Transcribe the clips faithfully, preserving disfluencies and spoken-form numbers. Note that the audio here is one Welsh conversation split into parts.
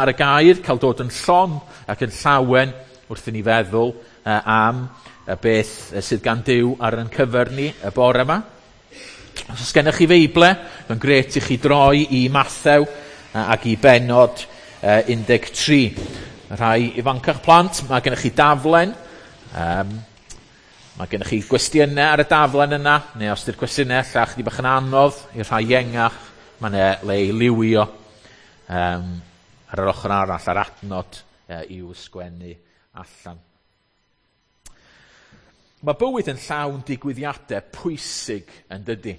Ar y gair, cael dod yn llon ac yn llawen wrth i ni feddwl uh, am y beth sydd gan Duw ar ein cyfer ni y bore yma. Os oes gennych chi Feible, mae'n grêt i chi droi i Mathew ac i bennod uh, un deg tri. Rhai ifancach plant, mae gennych chi daflen. Um, mae gennych chi gwestiynau ar y daflen yna, neu os ydy'r cwestiynau ella chydig bach yn anodd i'r rhai iengach, mae yna le i liwio um, ar yr ochr arall, ar adnod uh, i'w sgwennu allan. Mae bywyd yn llawn digwyddiadau pwysig, yn dydy?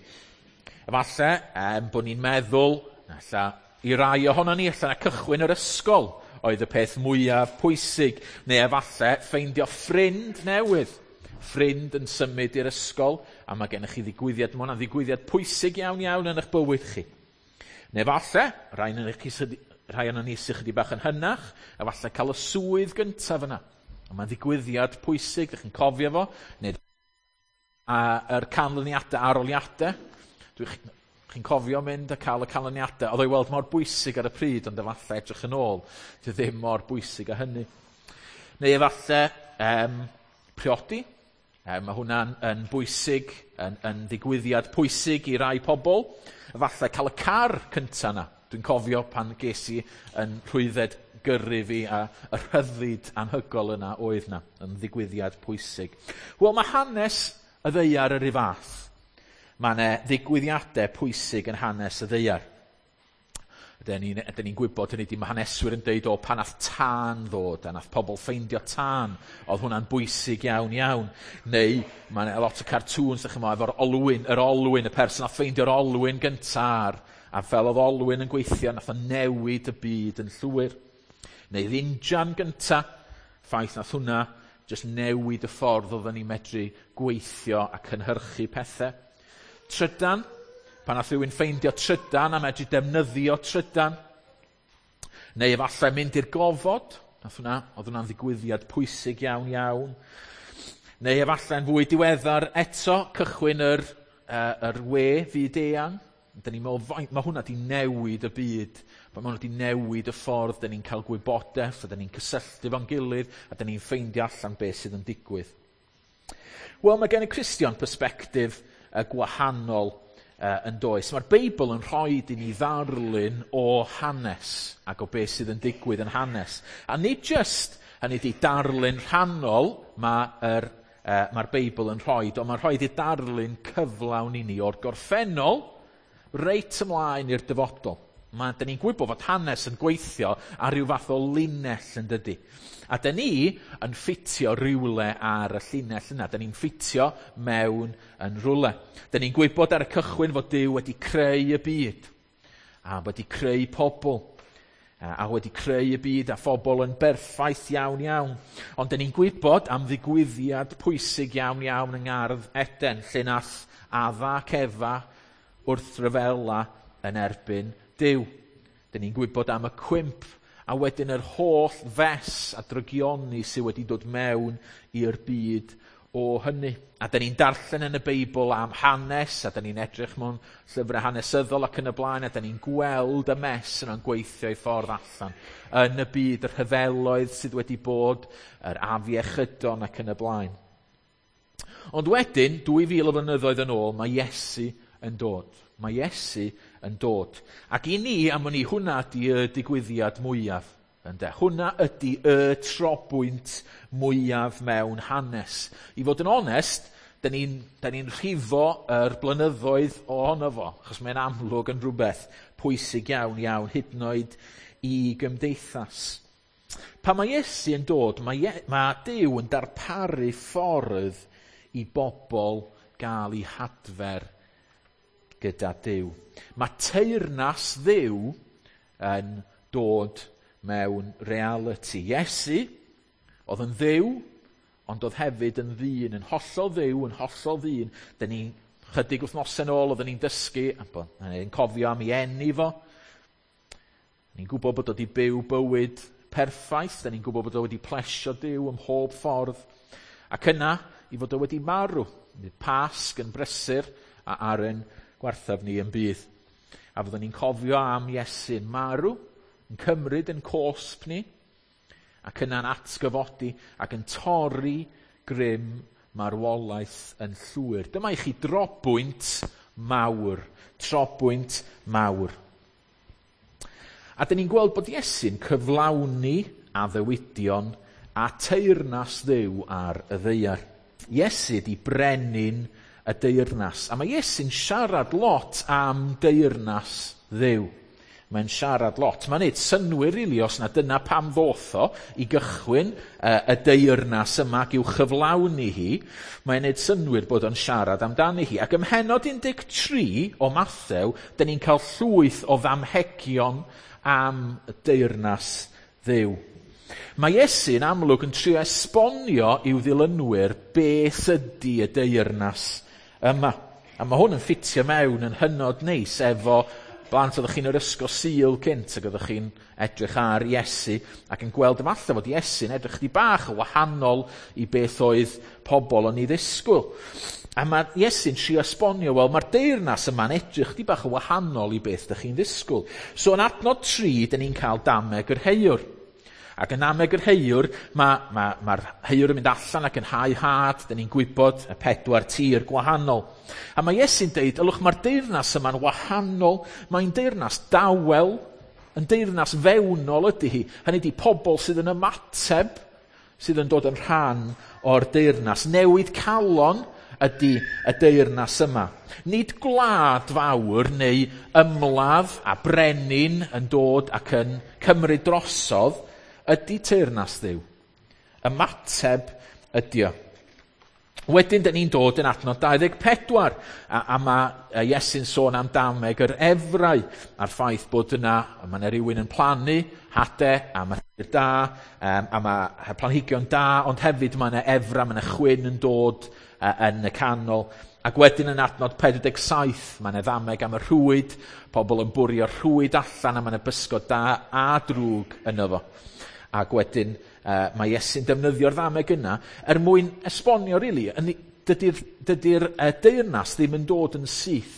Efallai um, bod ni'n meddwl, ella i rai ohono ni, ella na cychwyn yr ysgol oedd y peth mwyaf pwysig, neu efallai ffeindio ffrind newydd. Ffrind yn symud i'r ysgol, a mae gennych chi ddigwyddiad, mae hwnna'n ddigwyddiad pwysig iawn iawn yn eich bywyd chi. Neu efallai, rhai yn chi, rhai o'n ni sydd chydig bach yn hynach, efallai cael y swydd gyntaf yna. A mae'n ddigwyddiad pwysig, ydych chi'n cofio fo, neu a, yr canlyniadau, arholiadau. Dwi'n chi'n cofio mynd a cael y canlyniadau. Oedd o'i weld mor bwysig ar y pryd, ond efallai edrych yn ôl, dwi ddim mor bwysig â hynny. Neu efallai um, priodi. Um, mae hwnna'n yn bwysig, yn, yn ddigwyddiad pwysig i rai pobl. Efallai cael y car cyntaf yna. Dwi'n cofio pan ges i yn rhwydded gyrru fi a y rhyddid anhygoel yna oedd na, yn ddigwyddiad pwysig. Wel, mae hanes y ddaear yr un fath. Mae yna ddigwyddiadau pwysig yn hanes y ddaear. Ydyn ni'n ni ni'n gwybod hynny, mae haneswyr yn deud o pan nath tân ddod, a nath pobl ffeindio tân, oedd hwnna'n bwysig iawn iawn. Neu mae yna lot o cartoons, ydych chi'n efo'r olwyn, yr olwyn, y person nath ffeindio'r olwyn gyntaf, a fel oedd olwyn yn gweithio, nath o newid y byd yn llwyr. Neu injan gynta, ffaith nath hwnna jyst newid y ffordd oedden ni'n medru gweithio a cynhyrchu pethau. Trydan, pan nath rhywun ffeindio trydan a medru defnyddio trydan. Neu efallai mynd i'r gofod, nath hwnna, oedd hwnna'n ddigwyddiad pwysig iawn iawn. Neu efallai'n fwy diweddar eto, cychwyn yr, uh, yr we fyd eang. Dyn ni'n meddwl, mae hwnna di newid y byd. Mae hwnna di newid y ffordd dyn ni'n cael gwybodaeth, a dyn ni'n cysylltu fo'n gilydd, a dyn ni'n ffeindio allan beth sydd yn digwydd. Wel, mae gen y Cristion perspectif uh, gwahanol uh, yn does. Mae'r Beibl yn rhoi i ni ddarlun o hanes ac o beth sydd yn digwydd yn hanes. A nid just, hynny ydi, darlun rhannol mae'r uh, mae'r Beibl yn rhoi, ond mae'n rhoi i darlun cyflawn i ni o'r gorffennol reit ymlaen i'r dyfodol. Mae, dyn ni'n gwybod fod hanes yn gweithio ar ryw fath o linell, yn dydy? A dyn ni yn ffitio rhywle ar y llinell yna. Dyn ni'n ffitio mewn yn rhywle. Dyn ni'n gwybod ar y cychwyn fod Duw wedi creu y byd. A wedi creu pobl. A wedi creu y byd a phobl yn berffaith iawn iawn. Ond dyn ni'n gwybod am ddigwyddiad pwysig iawn iawn yng Ngardd Eden, lle nath Adda ac Efa wrth ryfela yn erbyn Duw. Dyn ni'n gwybod am y cwymp a wedyn yr holl fes a drygioni sydd wedi dod mewn i'r byd o hynny. A dyn ni'n darllen yn y Beibl am hanes, a dyn ni'n edrych mewn llyfrau hanesyddol ac yn y blaen, a dyn ni'n gweld y mess yna'n gweithio i ffordd allan yn y byd, yr rhyfeloedd sydd wedi bod, yr afiechydon ac yn y blaen. Ond wedyn, dwy fil o flynyddoedd yn ôl, mae Iesu yn dod. Mae Iesu yn dod. Ac i ni, am wn i, hwnna ydy y digwyddiad mwyaf. Ynde? Hwnna ydy y trobwynt mwyaf mewn hanes. I fod yn onest, dyn ni'n ni rhifo yr blynyddoedd ohono fo, achos mae'n amlwg yn rhywbeth pwysig iawn iawn, hyd yn oed i gymdeithas. Pan mae Iesu yn dod, mae, Ie, mae Duw yn darparu ffordd i bobl gael eu hadfer gyda Duw. Mae teyrnas Dduw yn dod mewn reality. Iesu oedd yn Dduw, ond oedd hefyd yn ddyn, yn hollol Dduw, yn hollol ddyn. Dyn ni'n chydig wythnosau yn ôl, oedden ni'n dysgu, a ni'n cofio am ei eni fo. Ni'n gwybod bod o wedi byw bywyd perffaith, dyn ni'n gwybod bod o wedi plesio Duw ym mhob ffordd. Ac yna, i fod o wedi marw. Pasg yn brysur a ar ein gwarthaf ni yn bydd. A fyddwn ni'n cofio am Iesu'n marw, yn cymryd yn cosb ni, ac yna'n atgyfodi ac yn torri grym marwolaeth yn llwyr. Dyma i chi drobwynt mawr, trobwynt mawr. A dyn ni'n gweld bod Iesu'n cyflawni addewidion a teyrnas Dduw ar y ddaear. Iesu 'di brenin y deyrnas. A mae Iesu'n siarad lot am deyrnas Dduw. Mae'n siarad lot. Mae'n neud synnwyr rili os na dyna pam ddoth o i gychwyn uh, y deyrnas yma ac i'w chyflawni hi. Mae'n neud synnwyr bod o'n siarad amdani hi. Ac ym mhennod un deg tri o Mathew, dyn ni'n cael llwyth o ddamhegion am y deyrnas Dduw. Mae Iesu'n amlwg yn trio esbonio i'w ddilynwyr beth ydy y deyrnas yma. A mae hwn yn ffitio mewn yn hynod neis efo blant oeddech chi'n yr ysgol Sul cynt ac oeddech chi'n edrych ar Iesu ac yn gweld efallai fod Iesu'n edrych chdi bach yn wahanol i beth oedd pobl yn ei ddisgwyl. A mae Iesu'n trio esbonio, wel, mae'r deyrnas yma'n edrych chdi bach yn wahanol i beth ydych chi'n ddisgwyl. So yn adnod tri, dyn ni'n cael dameg yr heiwr. Ac yn dameg yr heiwr, mae'r ma, ma heiwr yn mynd allan ac yn hau had, dyn ni'n gwybod y pedwar tir gwahanol. A mae Iesu'n deud, ylwch, mae'r deyrnas yma'n wahanol, mae'n deyrnas dawel, yn deyrnas fewnol ydy hi. Hynny ydy pobl sydd yn ymateb, sydd yn dod yn rhan o'r deyrnas. Newid calon ydy y deyrnas yma. Nid gwlad fawr neu ymladd a brenin yn dod ac yn cymryd drosodd, ydy teyrnas Dduw. Ymateb ydy o. Wedyn, dyn ni'n dod yn adnod dau ddeg pedwar, a, a mae Iesu'n sôn am dameg yr efrau, a'r ffaith bod yna, mae yna rhywun yn plannu hade, a mae tir da, um, a mae planhigion da, ond hefyd mae yna efra, mae yna chwyn yn dod uh, yn y canol. Ac wedyn yn adnod pedwar deg saith, mae yna ddameg am y rhwyd, pobl yn bwrio rhwyd allan, a mae yna bysgod da a drwg yno fo. Ac wedyn uh, mae Iesu'n defnyddio'r ddameg yna er mwyn esbonio, rili, really, dydy'r dydy uh, deyrnas ddim yn dod yn syth.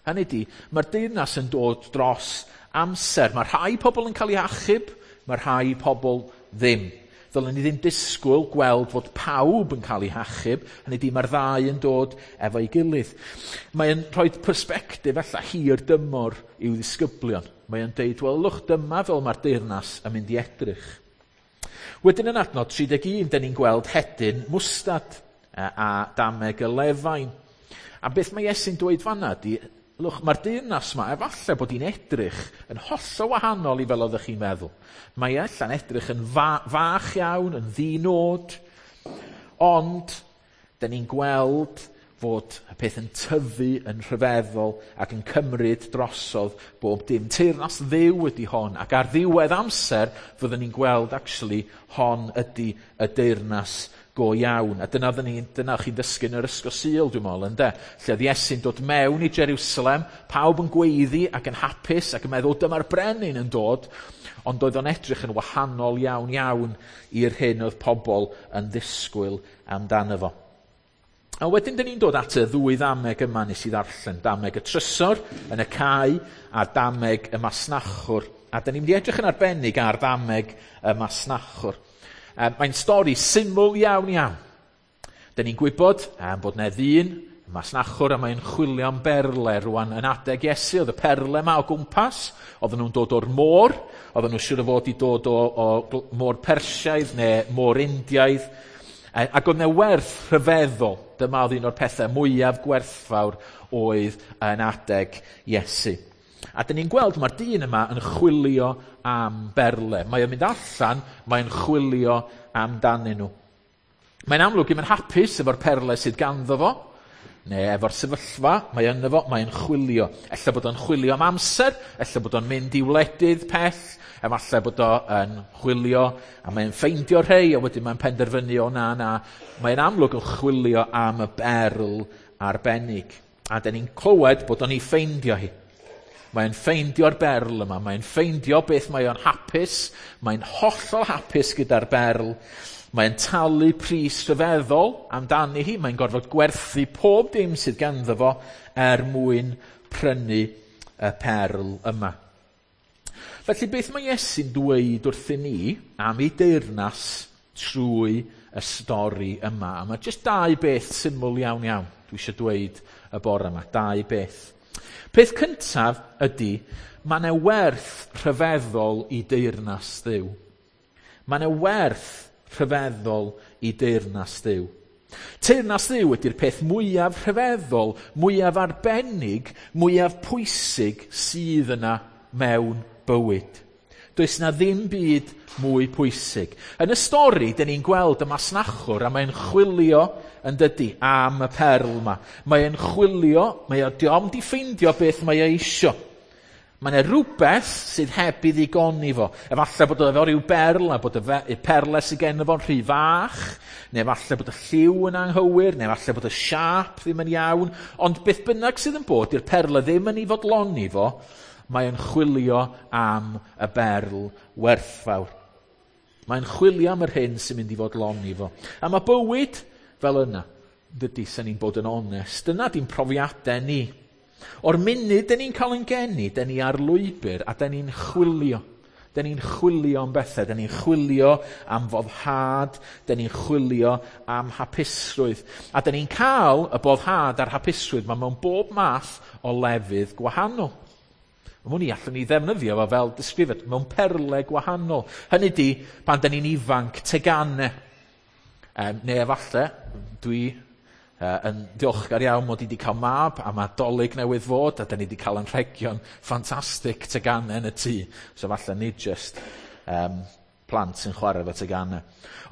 Hynny ydy, mae'r deyrnas yn dod dros amser. Mae rhai pobl yn cael eu achub, mae rhai pobl ddim. Ddylen ni ddim disgwyl gweld fod pawb yn cael eu hachub, hynny ydy mae'r ddau yn dod efo'i gilydd. Mae'n rhoi persbectif ella hir dymor i'w ddisgyblion. Mae'n deud, wel, lwch, dyma fel mae'r deyrnas yn mynd i edrych. Wedyn yn adnod tri deg un, dyn ni'n gweld hedyn mwstad a, a dameg y lefain. A beth mae Iesu'n dweud fanna ydy, lwch, mae'r deyrnas yma, efallai bod hi'n edrych yn hollol wahanol i fel oeddech chi'n meddwl. Mae ella'n edrych yn fa fach iawn, yn ddinod, ond dyn ni'n gweld fod y peth yn tyfu yn rhyfeddol ac yn cymryd drosodd bob dim. Teyrnas Dduw ydy hon, ac ar ddiwedd amser fyddwn ni'n gweld actually hon ydy y deyrnas go iawn. A dyna, ni, dyna chi'n dysgu yn yr ysgol Sul, dwi'n meddwl, ynde? Lle oedd Iesu'n dod mewn i Jerusalem, pawb yn gweiddi ac yn hapus ac yn meddwl dyma'r brenin yn dod, ond oedd o'n edrych yn wahanol iawn iawn i'r hyn oedd pobl yn ddisgwyl amdano fo. A wedyn dyn ni'n dod at y ddwy ddameg yma nes i ddarllen, dameg y trysor yn y cae a dameg y masnachwr. A dyn ni'n mynd i edrych yn arbennig ar ddameg y masnachwr. Mae'n stori syml iawn iawn. Dyn ni'n gwybod um, bod yna ddyn, y masnachwr, a mae'n chwilio am berle rwan yn adeg Iesu. Oedd y perle yma o gwmpas, oedden nhw'n dod o'r môr, oedden nhw'n siŵr o fod i dod o, o môr Persiaidd neu môr Indiaidd. Ac oedd yna werth rhyfeddol. Dyma oedd un o'r pethau mwyaf gwerthfawr oedd yn adeg Iesu. A dyn ni'n gweld mae'r dyn yma yn chwilio am berle. Mae o'n mynd allan, mae'n chwilio amdanyn nhw. Mae'n amlwg ddim yn hapus efo'r perle sydd ganddo fo, neu efo'r sefyllfa, mae yno fo, mae'n chwilio. Ella bod o'n chwilio am amser, ella bod o'n mynd i wledydd pell, efallai bod o'n chwilio, a mae'n ffeindio rhei, a wedyn mae'n penderfynu o na, na. Mae'n amlwg yn chwilio am y berl arbennig. A dyn ni'n clywed bod o'n ei ffeindio hi. Mae'n ffeindio'r berl yma, mae'n ffeindio beth mae o'n hapus, mae'n hollol hapus gyda'r berl. Mae'n talu pris rhyfeddol amdani hi, mae'n gorfod gwerthu pob dim sydd ganddo fo er mwyn prynu y perl yma. Felly beth mae Iesu'n dweud wrthyn ni am ei deyrnas trwy y stori yma? A mae jyst dau beth syml iawn iawn dwi eisiau dweud y bore yma. Dau beth. Peth cyntaf ydy, mae yna werth rhyfeddol i deyrnas Dduw. Mae yna werth rhyfeddol i deyrnas Dduw. Teyrnas Dduw ydy'r peth mwyaf rhyfeddol, mwyaf arbennig, mwyaf pwysig sydd yna mewn bywyd. Does na ddim byd mwy pwysig. Yn y stori, dyn ni'n gweld y masnachwr a mae'n chwilio yn dydy am y perl yma. Mae'n chwilio, mae o diom di ffeindio beth mae e isio. Mae yna rhywbeth sydd heb i ddigoni fo. Efallai bod o efo rhyw berl, a bod y, fe, y perle sydd gen fo'n rhy fach, neu efallai bod y lliw yn anghywir, neu efallai bod y siâp ddim yn iawn. Ond beth bynnag sydd yn bod, di'r perle ddim yn ei fodloni fo, mae'n chwilio am y berl werthfawr. Mae'n chwilio am yr hyn sy'n mynd i fodloni fo. A mae bywyd fel yna, dydy, sy'n ni'n bod yn onest. Dyna di'n profiadau ni. O'r munud dyn ni'n cael ein geni, dyn ni ar lwybr a dyn ni'n chwilio. Dyn ni'n chwilio am bethau, dyn ni'n chwilio am foddhad, dyn ni'n chwilio am hapusrwydd. A dyn ni'n cael y boddhad a'r hapusrwydd ma mewn bob math o lefydd gwahanol. Mwyn i allwn ni ddefnyddio fo fel disgrifiad mewn perle gwahanol. Hynny di, pan dyn ni'n ifanc, tegannau. Um, neu efallai, dwi uh, yn diolchgar iawn mod i wedi cael mab, a mae Dolig newydd fod, a dyn ni wedi cael anrhegion ffantastig tegannau yn y tŷ. So falle nid just um, plant sy'n chwarae efo tegannau.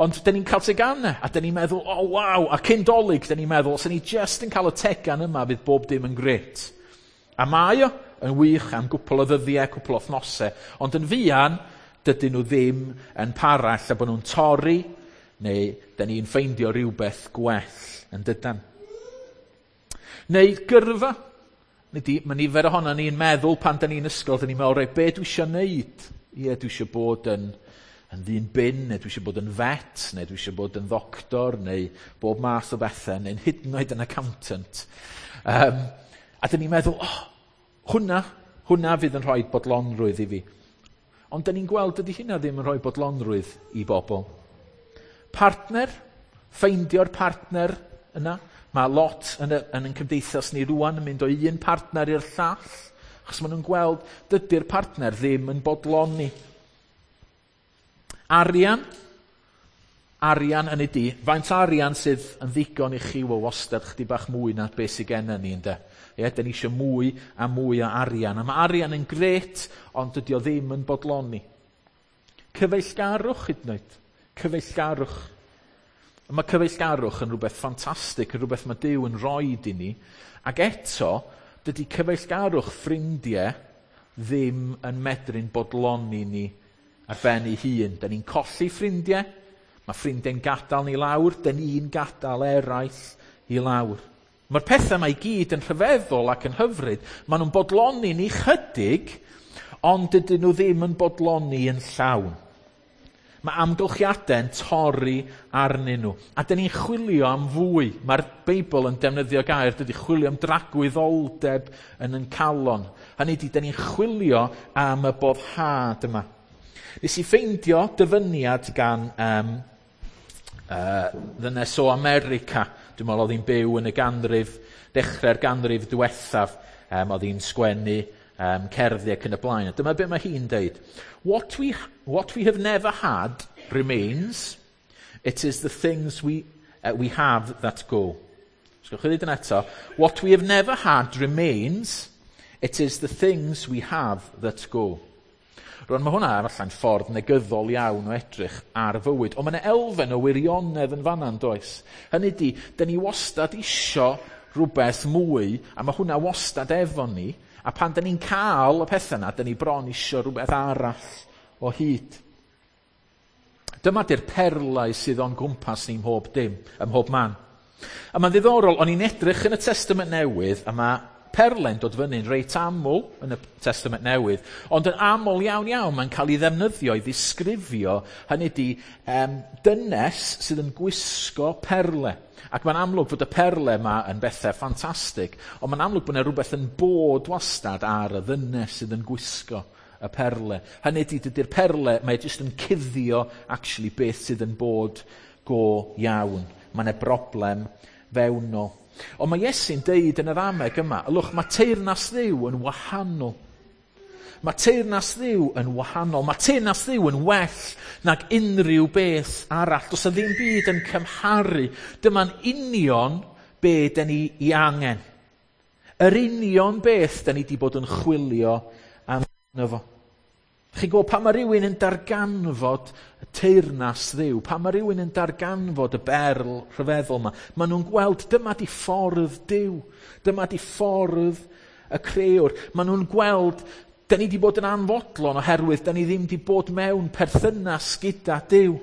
Ond dyn ni'n cael tegannau, a dyn ni'n meddwl, oh waw, a cyn Dolig, dyn ni'n meddwl, os ni'n just yn cael y tegan yma, fydd bob dim yn gret. A mae o yn wych am gwpl o ddyddiau, cwpl o wythnosau, ond yn fuan, dydyn nhw ddim yn para, lle bod nhw'n torri, neu dyn ni'n ffeindio rhywbeth gwell yn dydan. Neu gyrfa. Nid mae nifer ohono ni'n meddwl pan dyn ni'n ysgol, dyn ni'n meddwl, reit, be dwi eisiau neud? Ie, dwi eisiau bod yn, yn ddyn bin, neu dwi eisiau bod yn vet, neu dwi eisiau bod yn ddoctor, neu bob math o bethau, neu'n hyd yn oed yn accountant. Um, a dyn ni'n meddwl, oh, hwnna, hwnna fydd yn rhoi bodlonrwydd i fi. Ond dyn ni'n gweld dydy hynna ddim yn rhoi bodlonrwydd i bobl. Partner, ffeindio'r partner yna. Mae lot yn, y, yn ein cymdeithas ni rwan yn mynd o un partner i'r llall, achos maen nhw'n gweld dydy'r partner ddim yn bodloni. Arian, arian yn ei di. Faint arian sydd yn ddigon i chi, wel wastad chdi bach mwy na beth sydd gennym ni, ynde? Ie, dyn ni eisiau mwy a mwy o arian. A mae arian yn gret, ond dydy o ddim yn bodloni. Cyfeillgarwch hyd yn oed. Cyfeillgarwch. A mae cyfeillgarwch yn rhywbeth ffantastig, yn rhywbeth mae Duw yn rhoid i ni. Ac eto, dydy cyfeillgarwch ffrindiau ddim yn medru'n bodloni ni ar ben ei hun. Dyn ni'n colli ffrindiau, mae ffrindiau'n gadael ni lawr, dyn ni'n gadael eraill i lawr. Mae'r pethau yma i gyd yn rhyfeddol ac yn hyfryd. Maen nhw'n bodloni ni chydig, ond dydyn nhw ddim yn bodloni yn llawn. Mae amgylchiadau'n torri arnyn nhw. A dyn ni'n chwilio am fwy. Mae'r Beibl yn defnyddio gair, dydy chwilio am dragwyddoldeb yn yn calon. Hynny ydy, dyn ni'n chwilio am y boddhad yma. Nes i ffeindio dyfyniad gan um, uh, ddynes o America. Dwi'n meddwl oedd hi'n byw yn y ganrif, dechrau'r ganrif diwethaf. Um, oedd hi'n sgwennu um, cerddi ac yn y blaen. A dyma beth mae hi'n deud. What we, what we have never had remains. It is the things we, uh, we have that go. So, gewch chi ddweud yn eto. What we have never had remains. It is the things we have that go. Rwan, mae hwnna efallai'n ffordd negyddol iawn o edrych ar fywyd, ond mae yna elfen o wirionedd yn fanna, yn does? Hynny di, dyn ni wastad isio rhywbeth mwy, a mae hwnna wastad efo ni, a pan dyn ni'n cael y pethau yna, dyn ni bron isio rhywbeth arall o hyd. Dyma di'r perlau sydd o'n gwmpas ni mhob dim, ym mhob man. A mae'n ddiddorol, o'n i'n edrych yn y Testament Newydd, a mae perle'n dod fyny'n reit aml yn y Testament Newydd, ond yn aml iawn iawn mae'n cael ei ddefnyddio i ddisgrifio, hynny di, um, dynes sydd yn gwisgo perle. Ac mae'n amlwg fod y perle yma yn bethau ffantastig, ond mae'n amlwg bod yna rhywbeth yn bod wastad ar y ddynes sydd yn gwisgo y perle. Hynny ydy, dydy'r perle, mae jyst yn cuddio actually beth sydd yn bod go iawn. Mae yna broblem fewnol. Ond mae Iesu'n deud yn y ddameg yma, ylwch, mae teyrnas Dduw yn wahanol. Mae teyrnas Dduw yn wahanol. Mae teyrnas Dduw yn well nag unrhyw beth arall. Does 'na ddim byd yn cymharu. Dyma'n union be da ni i angen. Yr union beth da ni wedi bod yn chwilio amdano fo. Chi'n gwybod, pan mae rhywun yn darganfod y teyrnas Dduw, pan mae rhywun yn darganfod y berl rhyfeddol yma, maen nhw'n gweld dyma di ffordd Duw, dyma di ffordd y crëwr. Maen nhw'n gweld, da ni wedi bod yn anfodlon oherwydd da ni ddim wedi bod mewn perthynas gyda Duw.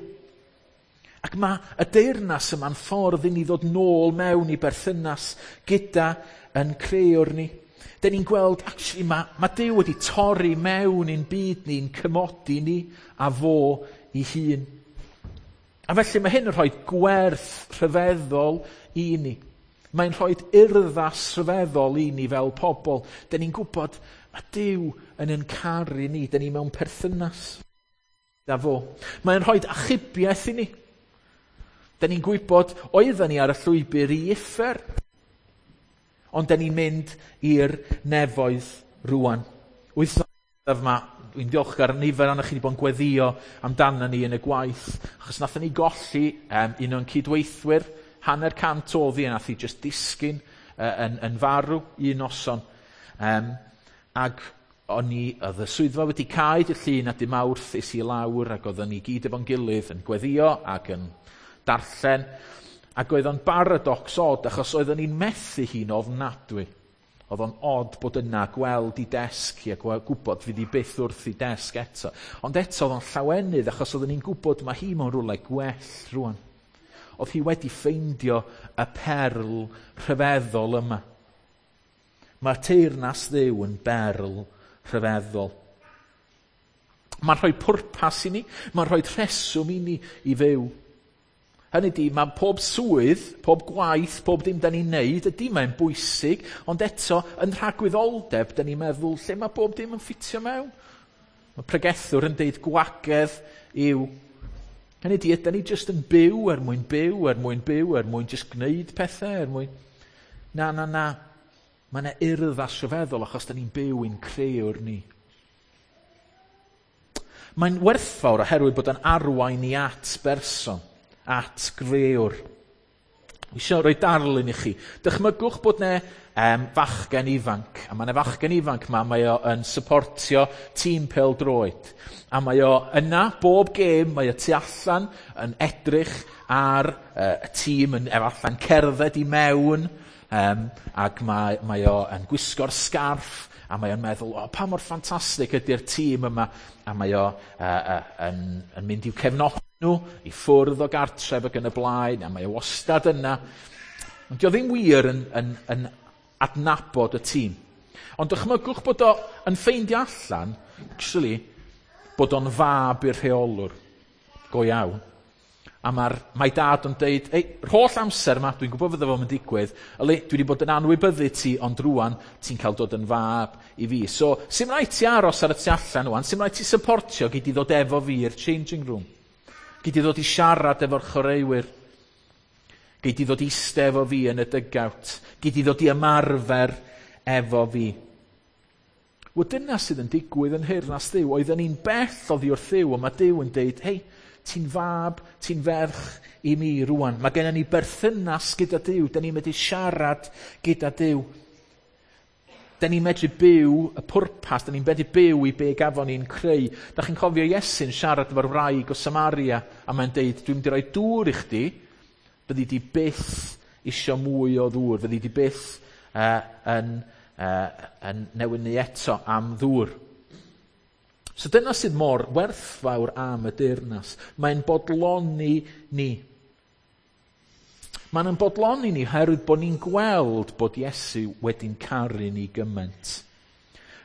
Ac mae y deyrnas yma'n ffordd i ni ddod nôl mewn i berthynas gyda yn crëwr ni. Da ni'n gweld, actually, mae, mae Duw wedi torri mewn i'n byd ni'n cymodi ni a fo i hun. A felly mae hyn yn rhoi gwerth rhyfeddol i ni. Mae'n rhoi urddas rhyfeddol i ni fel pobl. Da ni'n gwybod mae Duw yn yn caru ni. Da ni mewn perthynas da fo. Mae'n rhoi achubiaeth i ni. Da ni'n gwybod oedden ni ar y llwybr i uffern. Ond da ni'n mynd i'r nefoedd rwan. Wythnos yma, dwi'n diolchgar nifer ohonoch chi wedi bod yn gweddio amdano ni yn y gwaith, achos nathon ni golli um, un o'n cydweithwyr, hanner cant oddi, a nath hi just disgyn uh, yn, yn farw un noson. Um, ag o'n i, oedd y swyddfa wedi cau dydd Llun a dydd Mawrth es i lawr, ac oedden ni gyd efo'n gilydd yn gweddio ac yn darllen. Ac oedd o'n baradocs od, achos oedden ni'n methu hi'n ofnadwy. Oedd o'n od bod yna gweld i desg hi a gwybod fydd hi byth wrth i desg eto. Ond eto oedd o'n llawenydd, achos oedden ni'n gwybod mae hi mewn rhywle gwell rwan. Oedd hi wedi ffeindio y perl rhyfeddol yma. Mae teyrnas Dduw yn berl rhyfeddol. Mae'n rhoi pwrpas i ni, mae'n rhoi rheswm i ni i fyw. Hynny ydy, mae pob swydd, pob gwaith, pob dim da ni'n neud, ydy mae'n bwysig, ond eto, yn rhagwyddoldeb, da ni'n meddwl, lle mae bob dim yn ffitio mewn? Mae pregethwr yn deud gwagedd yw. Hynny ydy, ydy ni jyst yn byw er mwyn byw, er mwyn byw, er mwyn jyst gwneud pethau, er mwyn... Na, na, na. Mae yna urddas rhyfeddol achos da ni'n byw i'n crëwr ni. Mae'n werthfawr oherwydd bod yn arwain ni at berson, at grëwr. Dwi eisiau rhoi darlun i chi. Dychmygwch bod 'na um, fachgen ifanc, a mae 'na fachgen ifanc ma, mae o yn supportio tîm pêl-droed. A mae o yna bob gêm, mae o tu allan yn edrych ar uh, y tîm, yn efallai'n cerdded i mewn, um, ac mae, mae o yn gwisgo'r sgarff, a mae o'n meddwl, o, pa mor ffantastig ydy'r tîm yma, a mae o uh, uh, yn, yn mynd i'w cefnogi nhw, i ffwrdd o gartref ac yn y blaen, a mae o wastad yna. Ond dio ddim wir yn, yn, yn adnabod y tîm. Ond dychmygwch bod o yn ffeindio allan, actually, bod o'n fab i'r rheolwr, go iawn. A mae'r, mae dad yn deud, ei, holl amser yma, dwi'n gwybod fydda fo'n digwydd, yli, dwi wedi bod yn anwybyddu ti, ond rwan ti'n cael dod yn fab i fi. So, sy'm rhaid ti aros ar y tu allan rwan, sy'm rhaid ti supportio, gei di ddod efo fi i'r changing room. Gei di ddod i siarad efo'r chwaraewyr. Gei di ddod i iste efo fi yn y dugout. Gei di ddod i ymarfer efo fi. Wel, dyna sydd yn digwydd yn nheyrnas Dduw. Oedden ni'n bell oddi wrth Dduw, ond mae Duw yn deud, hei, ti'n fab, ti'n ferch i mi rwan. Mae gennym ni berthynas gyda Duw. Da ni'n medru siarad gyda Duw. Da ni'n medru byw y pwrpas, da ni'n medru byw i be gafon ni'n creu. Da chi'n cofio Iesu'n siarad efo'r wraig o Samaria, a mae'n deud, dwi'n mynd i roi dŵr i chdi, byddi di byth isio mwy o ddŵr, fyddi di byth uh, yn, uh, yn newynu eto am ddŵr. So dyna sydd mor werthfawr am y deyrnas. Mae'n bodloni ni. Mae'n yn bodloni ni oherwydd bod ni'n gweld bod Iesu wedi'n caru ni gymaint.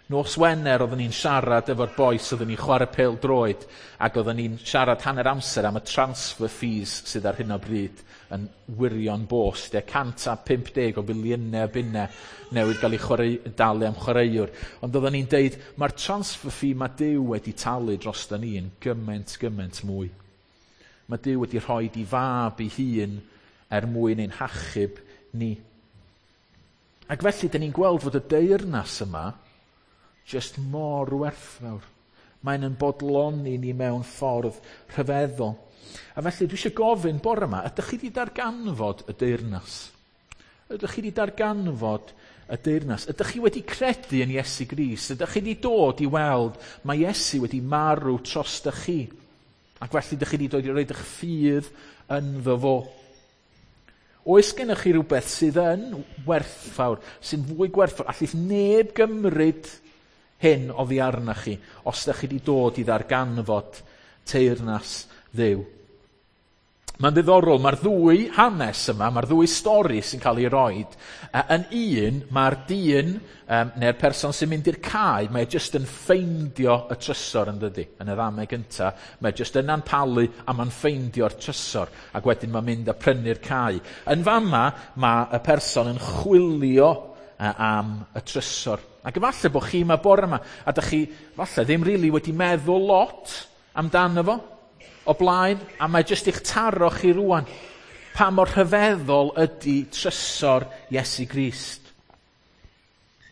Nos Wener oeddwn ni'n siarad efo'r bois, oeddwn ni'n chwarae pêl-droed, ac oeddwn ni'n siarad hanner amser am y transfer fees sydd ar hyn o bryd yn wirion bost. E, cant a pump deg o biliynau o bunnau newydd gael ei chwarae, dalu am chwaraewr. Ond oeddwn ni'n deud, mae'r transfer fee mae Duw wedi talu dros ni yn gymaint, gymaint mwy. Mae Duw wedi rhoi i fab ei hun er mwyn ein hachub ni. Ac felly, dyn ni'n gweld fod y deyrnas yma just mor werthfawr. Mae'n yn bodloni ni mewn ffordd rhyfeddol. A felly dwi eisiau gofyn bore yma, ydych chi wedi darganfod y deyrnas? Ydych chi wedi darganfod y deyrnas? Ydych chi wedi credu yn Iesu Grist? Ydych chi wedi dod i weld mae Iesu wedi marw drostoch chi? Ac felly ydych chi wedi dod i roid eich ffydd ynddo fo? Oes gennych chi rhywbeth sydd yn werthfawr, sy'n fwy gwerthfawr? Allith neb gymryd hyn oddi arnoch chi, os ydych chi wedi dod i ddarganfod teyrnas Dduw. Mae'n ddiddorol, mae'r ddwy hanes yma, mae'r ddwy stori sy'n cael ei roed. Yn un, mae'r dyn, um, neu'r person sy'n mynd i'r cae, mae jyst yn ffeindio y trysor yn dydi. Yn y ddameg gynta, mae jyst yna'n palu a mae'n ffeindio'r trysor, ac wedyn mae'n mynd a prynu'r cae. Yn fama, mae y person yn chwilio am y trysor. Ac efallai bod chi yma bore yma, a dych chi falle ddim rili wedi meddwl lot amdano fo o blaen, a mae jyst i'ch taro chi rwan pa mor rhyfeddol ydy trysor Iesu Grist.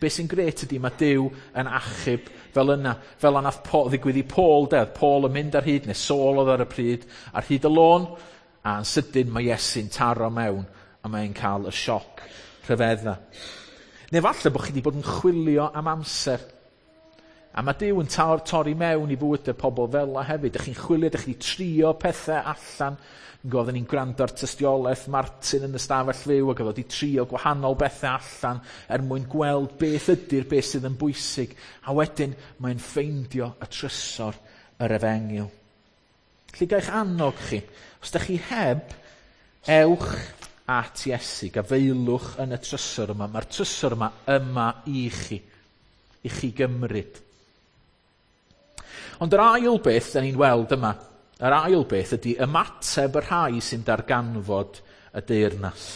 Be sy'n gret ydy mae Duw yn achub fel yna, fel yna ddigwydd i Paul, de, Paul yn mynd ar hyd, neu Saul oedd ar y pryd, ar hyd y lôn, a yn sydyn mae Iesu'n taro mewn, a mae'n cael y sioc rhyfedda. Neu falle bod chi wedi bod yn chwilio am amser. A mae Duw yn tor, torri mewn i fywydau pobl fel la hefyd. Dych chi'n chwilio, dych chi wedi trio pethau allan. Oedden ni'n gwrando ar tystiolaeth Martin yn y stafell fyw ac oedd wedi trio gwahanol bethau allan er mwyn gweld beth ydy'r beth sydd yn bwysig. A wedyn mae'n ffeindio y trysor yr efengyl. Felly gael eich annog chi, os ydych chi heb, ewch at Iesu, gafeilwch yn y trysor yma. Mae'r trysor yma yma i chi, i chi gymryd. Ond yr ail beth da ni'n weld yma, yr ail beth ydy ymateb y rhai sy'n darganfod y deyrnas.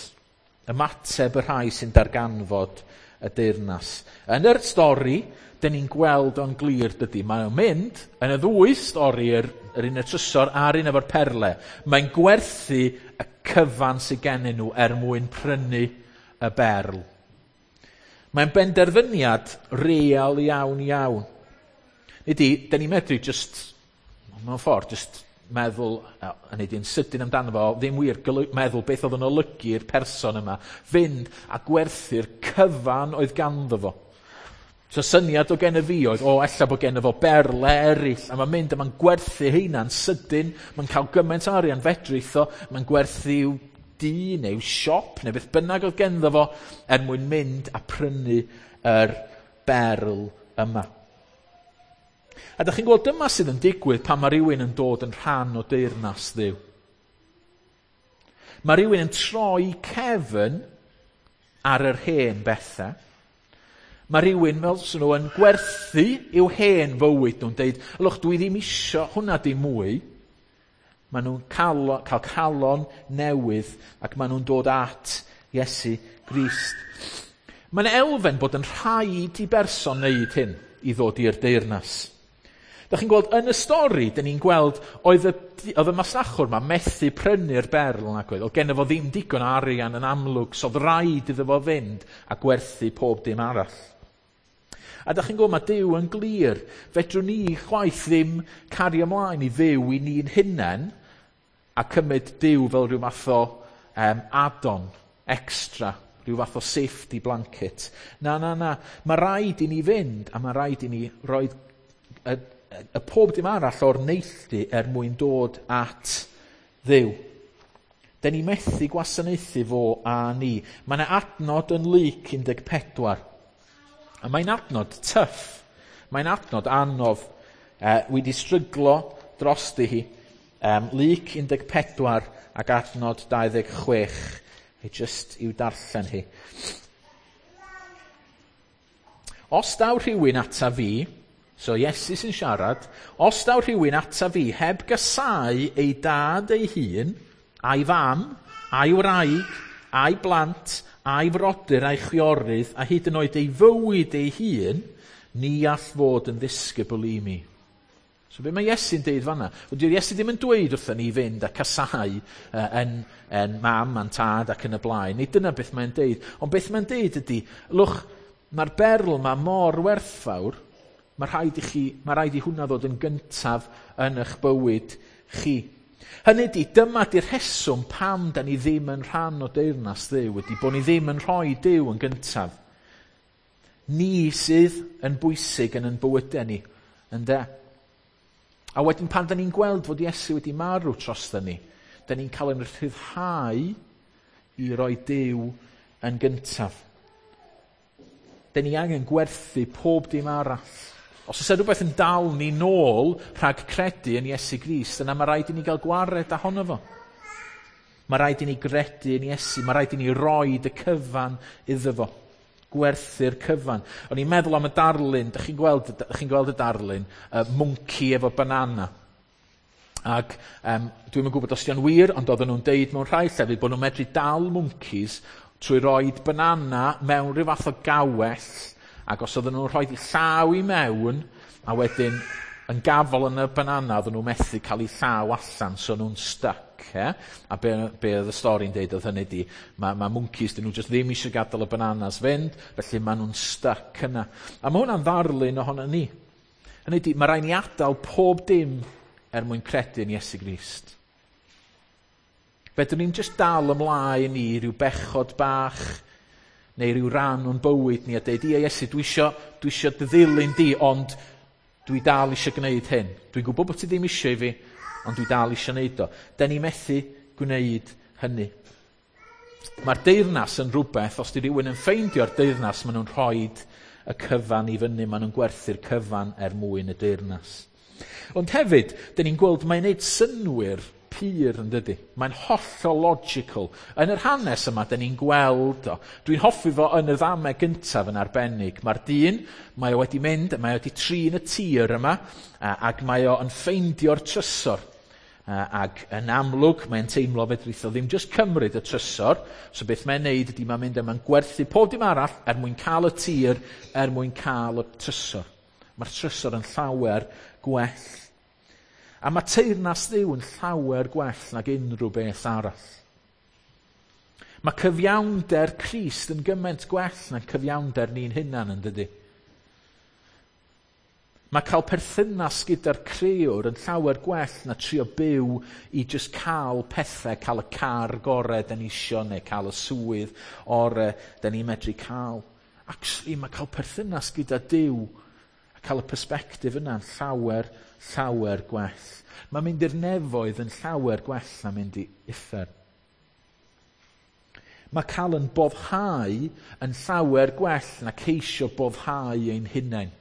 Ymateb y rhai sy'n darganfod y deyrnas. Yn yr stori, da ni'n gweld o'n glir dydy. Mae'n mynd, yn y ddwy stori, yr, yr un y trysor a'r un efo'r perle, mae'n gwerthu y cyfan sydd gennyn nhw er mwyn prynu y berl. Mae'n benderfyniad real iawn iawn. Nid i, da ni'n medru just, mewn ffordd, just meddwl, a nid i'n sydyn amdano fo, ddim wir meddwl beth oedd yn olygu'r person yma, fynd a gwerthu'r cyfan oedd ganddo fo. So syniad o gen y fi oedd, o, ella bod gen fo berle eraill, a mae'n mynd a mae'n gwerthu heina'n sydyn, mae'n cael gymaint o arian fedrith o, mae'n gwerthu i'w dŷ neu siop neu beth bynnag oedd genddo fo er mwyn mynd a prynu yr berl yma. A dych chi'n gweld dyma sydd yn digwydd pan mae rhywun yn dod yn rhan o deyrnas Dduw. Mae rhywun yn troi cefn ar yr hen bethau. Mae rhywun fel sy'n nhw yn gwerthu i'w hen fywyd nhw'n deud, ylwch, dwi ddim isio hwnna dim mwy. Maen nhw'n cael, cael calon newydd ac maen nhw'n dod at Iesu Grist. Mae'n elfen bod yn rhaid i berson wneud hyn i ddod i'r deyrnas. Dych chi'n gweld yn y stori, dyn ni'n gweld oedd y, oedd y masnachwr ma methu prynu'r berl nag oedd. Oedd genno fo ddim digon o arian yn amlwg, so oedd rhaid iddo fo fynd a gwerthu pob dim arall. A dych chi'n gweld mae Duw yn glir. Fedrwn ni chwaith ddim cario ymlaen i fyw i ni'n hunain a cymryd Duw fel rhyw fath o um, add-on extra, rhyw fath o safety blanket. Na, na, na. Mae rhaid i ni fynd a mae rhaid i ni roi y, y pob dim arall o'r neilltu er mwyn dod at Dduw. Den ni methu gwasanaethu fo a ni. Mae yna adnod yn Luc un deg pedwar. A mae'n adnod tyff. Mae'n adnod anodd. E, wedi stryglo drosti hi. Um, Luc un deg pedwar ac adnod dau ddeg chwech. I just i'w darllen hi. Os daw rhywun ata fi, so Iesu sy'n siarad, os daw rhywun ata fi heb gasáu ei dad ei hun, a'i fam, a'i wraig, a'i blant, a'i frodyr, a'i chwiorydd, a hyd yn oed ei fywyd ei hun, ni all fod yn ddisgybl i mi. So be mae Iesu'n deud fanna? Wel, dyw Iesu ddim yn dweud wrthyn ni fynd a casáu uh, yn, yn mam a'n tad ac yn y blaen. Nid dyna beth mae'n deud. Ond beth mae'n deud ydy, lwch, mae'r berl yma mor werthfawr, mae rhaid i chi, mae rhaid i hwnna ddod yn gyntaf yn eich bywyd chi. Hynny ydy, dyma di'r rheswm pam da ni ddim yn rhan o deyrnas Dduw, ydy bod ni ddim yn rhoi Duw yn gyntaf. Ni sydd yn bwysig yn yn bywydau ni, ynde? A wedyn pan da ni'n gweld fod Iesu wedi marw drosta ni, da ni'n cael ein rhyddhau i roi Duw yn gyntaf. Da ni angen gwerthu pob dim arall. Os oes rhywbeth yn dal ni nôl rhag credu yn Iesu Grist, yna mae rhaid i ni gael gwared ohono fo. Mae rhaid i ni gredu yn Iesu, mae rhaid i ni roid y cyfan iddo fo. Gwerthu'r cyfan. O'n i'n meddwl am y darlun, dych chi'n gweld, dych chi'n gweld y darlun, uh, mwnci efo banana. Ac um, dwi'm yn gwybod os 'di o'n wir, ond oedden nhw'n deud mewn rhai llefydd bod nhw'n medru dal mwncis trwy roid banana mewn rhyw fath o gawell, ac os oedden nhw'n rhoi llaw i mewn, a wedyn yn gafel yn y banana, oedden nhw'n methu cael eu llaw allan, so nhw'n stuck. Eh? A be, be oedd y stori'n deud oedd hynny di, mae ma mwncis, dyn nhw just ddim eisiau gadael y bananas fynd, felly maen nhw'n stuck yna. A mae hwnna'n ddarlun ohono ni. Hynny di, mae rhaid ni adael pob dim er mwyn credu yn Iesu Grist. Fedrwn ni'n just dal ymlaen i ryw bechod bach, neu ryw ran o'n bywyd ni a deud, ie Iesu, dwi isio, dwi isio dy ddilyn di, ond dwi dal eisiau gwneud hyn. Dwi'n gwybod bod ti ddim eisiau i fi, ond dwi dal eisiau gwneud o. Da ni methu gwneud hynny. Mae'r deyrnas yn rhywbeth, os di rhywun yn ffeindio'r deyrnas, maen nhw'n rhoi y cyfan i fyny, maen nhw'n gwerthu'r cyfan er mwyn y deyrnas. Ond hefyd, da ni'n gweld mae'n neud synnwyr pur yn dydy. Mae'n hollol logical. Yn yr hanes yma, da ni'n gweld o. Dwi'n hoffi fo yn y ddameg gyntaf yn arbennig. Mae'r dyn, mae o wedi mynd, mae o wedi trin y tir yma, ac mae o yn ffeindio'r trysor. Ac yn amlwg, mae'n teimlo fedrith o ddim just cymryd y trysor. So beth mae'n neud ydy mae'n mynd yma'n gwerthu pob dim arall er mwyn cael y tir, er mwyn cael y trysor. Mae'r trysor yn llawer gwell. A mae teyrnas Dduw yn llawer gwell nag unrhyw beth arall. Mae cyfiawnder Crist yn gymaint gwell na cyfiawnder ni'n hunan yn dydy. Mae cael perthynas gyda'r crëwr yn llawer gwell na trio byw i just cael pethau, cael y car gorau da ni isio, neu cael y swydd orau da ni'n medru cael. Actually, mae cael perthynas gyda Duw a cael y persbectif yna'n llawer, llawer gwell. Mae mynd i'r nefoedd yn llawer gwell na mynd i uffern. Mae cael yn boddhau yn llawer gwell na ceisio boddhau ein hunain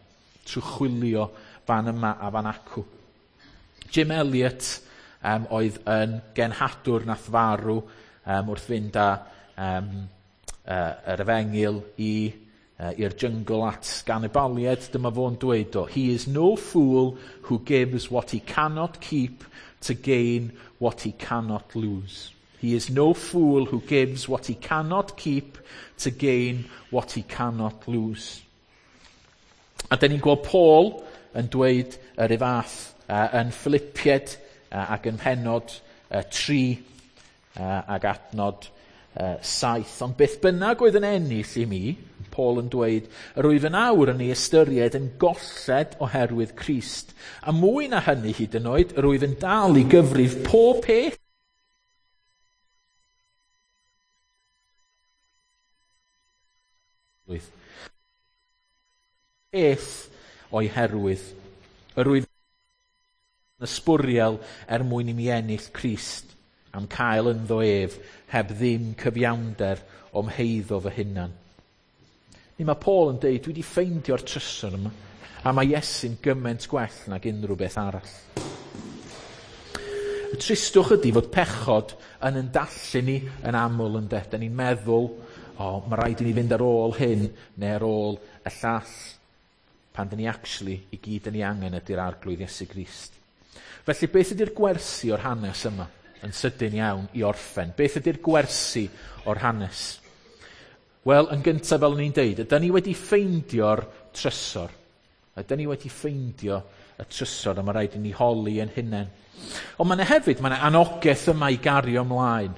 trwy chwilio fan yma a fan acw. Jim Elliot um, oedd yn genhadwr nath farw um, wrth fynd â um, uh, yr efengyl i uh, i'r jyngl at ganibaliaid. Dyma fo'n dweud o, "He is no fool who gives what he cannot keep to gain what he cannot lose. He is no fool who gives what he cannot keep to gain what he cannot lose." A dyn ni'n gweld Paul yn dweud yr un fath uh, yn Philippiaid uh, ac yn pennod uh, tri uh, ac adnod uh, saith. Ond beth bynnag oedd yn ennill i mi, Paul yn dweud, yr wyf yn awr yn ei ystyried yn golled oherwydd Crist. A mwy na hynny hyd yn oed, yr wyf yn dal i gyfrif pob peth Beth o'i herwydd, yr wyf yn ysbwriel er mwyn i mi ennill Crist, am cael ynddo ef, heb ddim cyfiawnder o'm heiddo fy hunan. Ni mae Paul yn deud, dwi wedi ffeindio'r trysor yma, a mae Iesu'n gymaint gwell nag unrhyw beth arall. Y tristwch ydy fod pechod yn yndallu ni yn aml yn de. Da ni'n meddwl, o, oh, mae rhaid i ni fynd ar ôl hyn neu ar ôl y llall. Pan dyn ni actually i gyd yn ei angen ydy'r Arglwydd Iesu Grist. Felly beth ydy'r gwersi o'r hanes yma? Yn sydyn iawn i orffen. Beth ydy'r gwersi o'r hanes? Wel, yn gyntaf fel o'n i'n deud, ydy ni wedi ffeindio'r trysor. Ydy ni wedi ffeindio y trysor, a mae rhaid i ni holi yn hunain. Ond mae yna hefyd, mae yna anogaeth yma i gario ymlaen.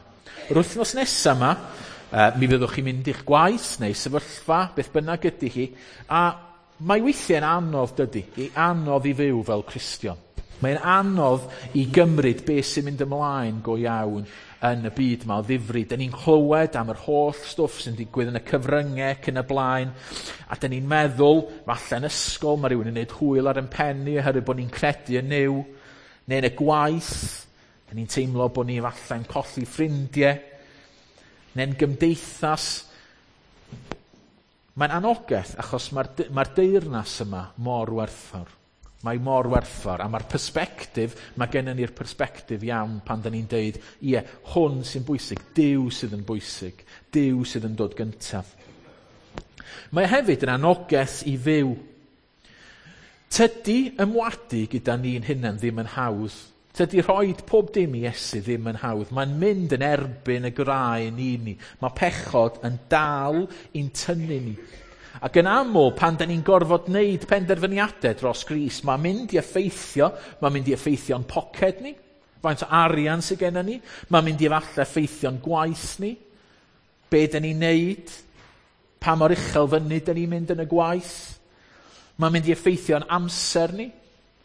Yr wythnos nesaf yma, uh, mi fyddwch chi'n mynd i'ch gwaith neu sefyllfa, beth bynnag ydy hi, a mae weithiau'n anodd dydy, i anodd i fyw fel Cristion. Mae'n anodd i gymryd beth sy'n mynd ymlaen go iawn yn y byd yma o ddifri. Dyn ni'n clywed am yr holl stwff sy'n digwydd yn y cyfryngau ac yn y blaen, a dyn ni'n meddwl, falle yn ysgol, mae rhywun yn gwneud hwyl ar ein pen ni oherwydd bod ni'n credu yn Nuw, neu yn y gwaith, dyn ni'n teimlo bod ni falle'n colli ffrindiau, neu'n gymdeithas. Mae'n anogaeth achos mae'r mae deyrnas yma mor werthfawr. Mae mor werthfawr, a mae'r persbectif, mae gennym ni'r persbectif iawn pan da ni'n deud, ie, hwn sy'n bwysig, Duw sydd yn bwysig, Duw sydd yn dod gyntaf. Mae hefyd yn anogaeth i fyw. Tydi ymwadu gyda ni'n hunain ddim yn hawdd. Tydi rhoi pob dim i Iesu ddim yn hawdd. Mae'n mynd yn erbyn y graen i ni. Mae pechod yn dal i'n tynnu ni. Ac yn aml, pan da ni'n gorfod wneud penderfyniadau dros Grist, mae'n mynd i effeithio, mae'n mynd i effeithio'n poced ni, faint o arian sydd gennym ni, mae'n mynd i efallai effeithio'n gwaith ni, be da ni'n neud, pa mor uchel fyny da ni'n mynd yn y gwaith, mae'n mynd i effeithio'n amser ni.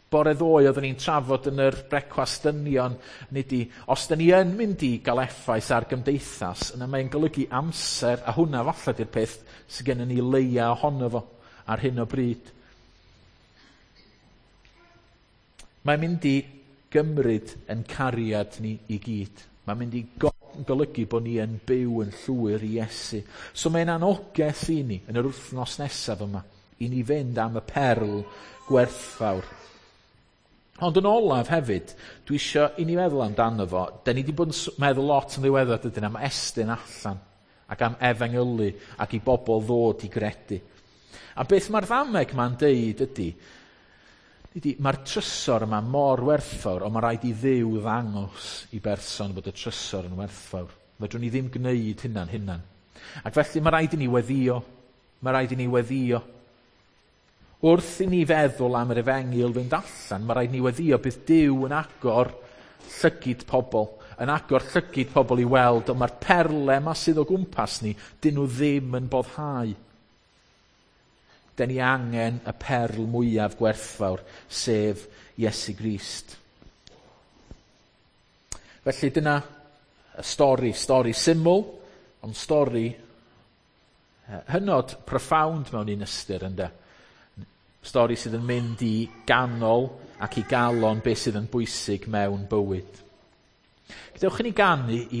Bore ddoe oeddwn ni'n trafod yn yr brecwast dynion, nid i, os da ni yn mynd i gael effaith ar gymdeithas, yna mae'n golygu amser, a hwnna falle di'r peth sydd gennym ni leia ohono fo ar hyn o bryd. Mae'n mynd i gymryd yn cariad ni i gyd. Mae'n mynd i golygu bod ni yn byw yn llwyr i Iesu. So mae'n anogaeth i ni yn yr wythnos nesaf yma, i ni fynd am y perl gwerthfawr. Ond yn olaf hefyd, dwi isio i ni meddwl amdano fo. Da ni wedi bod yn meddwl lot yn ddiweddar dydyn am estyn allan ac am efengylu ac i bobl ddod i gredu. A beth mae'r ddameg ma'n deud ydy, ydy mae'r trysor yma mor werthfawr, ond mae rhaid i Dduw ddangos i berson bod y trysor yn werthfawr. Fedrwn ni ddim gwneud hynna'n hunan. Ac felly mae rhaid i ni weddio. Mae rhaid i ni weddio. Wrth i ni feddwl am yr efengyl fynd allan, mae rhaid ni weddio bydd Duw yn agor llygid pobl, yn agor llygid pobl i weld, ond mae'r perle yma sydd o gwmpas ni, dyn nhw ddim yn boddhau. Dyn ni angen y perl mwyaf gwerthfawr, sef Iesu Grist. Felly dyna y stori, stori syml, ond stori hynod profound mewn un ystyr, ynde? Stori sydd yn mynd i ganol ac i galon beth sydd yn bwysig mewn bywyd. Gadewch i ni ganu i